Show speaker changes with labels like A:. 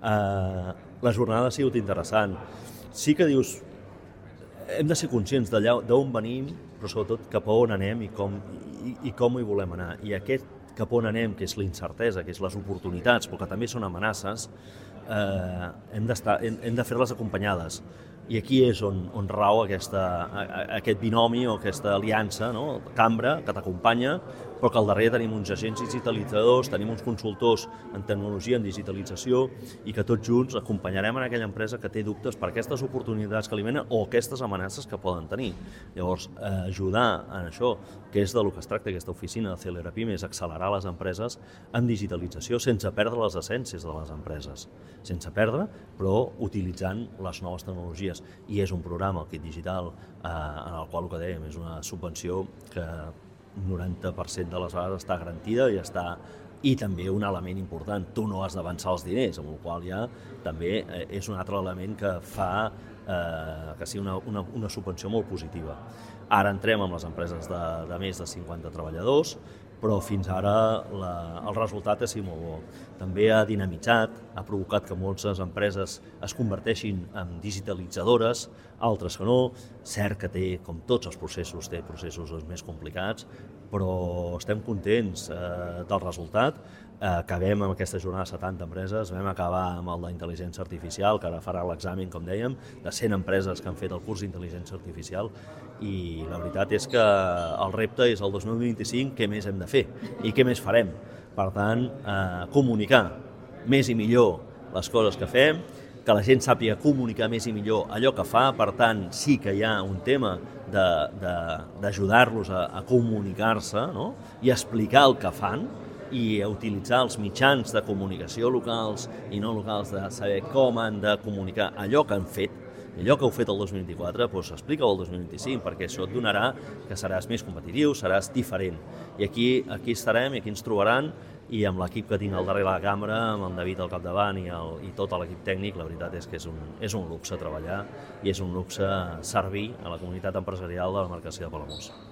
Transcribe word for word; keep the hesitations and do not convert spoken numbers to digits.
A: Eh, la jornada ha sigut interessant. Sí que dius, hem de ser conscients d'allà d'on venim, però sobretot cap a on anem i com, i, i com hi volem anar. I aquest cap on anem, que és la incertesa, que és les oportunitats, però que també són amenaces, eh, hem, hem, hem de fer-les acompanyades. I aquí és on, on rau aquesta, aquest binomi o aquesta aliança, no? Cambra, que t'acompanya, però que al darrere tenim uns agents digitalitzadors, tenim uns consultors en tecnologia, en digitalització, i que tots junts acompanyarem en aquella empresa que té dubtes per aquestes oportunitats que li venen o aquestes amenaces que poden tenir. Llavors, eh, ajudar en això, que és del que es tracta aquesta oficina de Celerapim, és accelerar les empreses en digitalització sense perdre les essències de les empreses, sense perdre, però utilitzant les noves tecnologies. I és un programa, el Kit Digital, eh, en el qual el que dèiem és una subvenció que un noranta per cent de les vegades està garantida i està i també un element important, tu no has d'avançar els diners, amb el qual ja també és un altre element que fa eh, que sigui una, una, una subvenció molt positiva. Ara entrem amb les empreses de, de més de cinquanta treballadors, però fins ara la, el resultat ha sigut molt bo. També ha dinamitzat, ha provocat que moltes empreses es converteixin en digitalitzadores, altres que no. Cert que té, com tots els processos, té processos més complicats, però estem contents eh, del resultat. Eh, acabem amb aquesta jornada de setanta empreses, vam acabar amb el d'intel·ligència artificial, que ara farà l'examen, com dèiem, de cent empreses que han fet el curs d'intel·ligència artificial, i la veritat és que el repte és el dos mil vint-i-cinc, què més hem de fer i què més farem. Per tant, eh, comunicar més i millor les coses que fem, que la gent sàpiga comunicar més i millor allò que fa, per tant, sí que hi ha un tema d'ajudar-los a, a comunicar-se, no? I explicar el que fan, i a utilitzar els mitjans de comunicació locals i no locals, de saber com han de comunicar allò que han fet. Allò que heu fet el dos mil vint-i-quatre, doncs explica-ho el dos mil vint-i-cinc, perquè això et donarà que seràs més competitiu, seràs diferent. I aquí, aquí estarem i aquí ens trobaran, i amb l'equip que tinc al darrere de la cambra, amb el David al capdavant i, el, i tot l'equip tècnic, la veritat és que és un, és un luxe treballar i és un luxe servir a la comunitat empresarial de la demarcació de Palamós.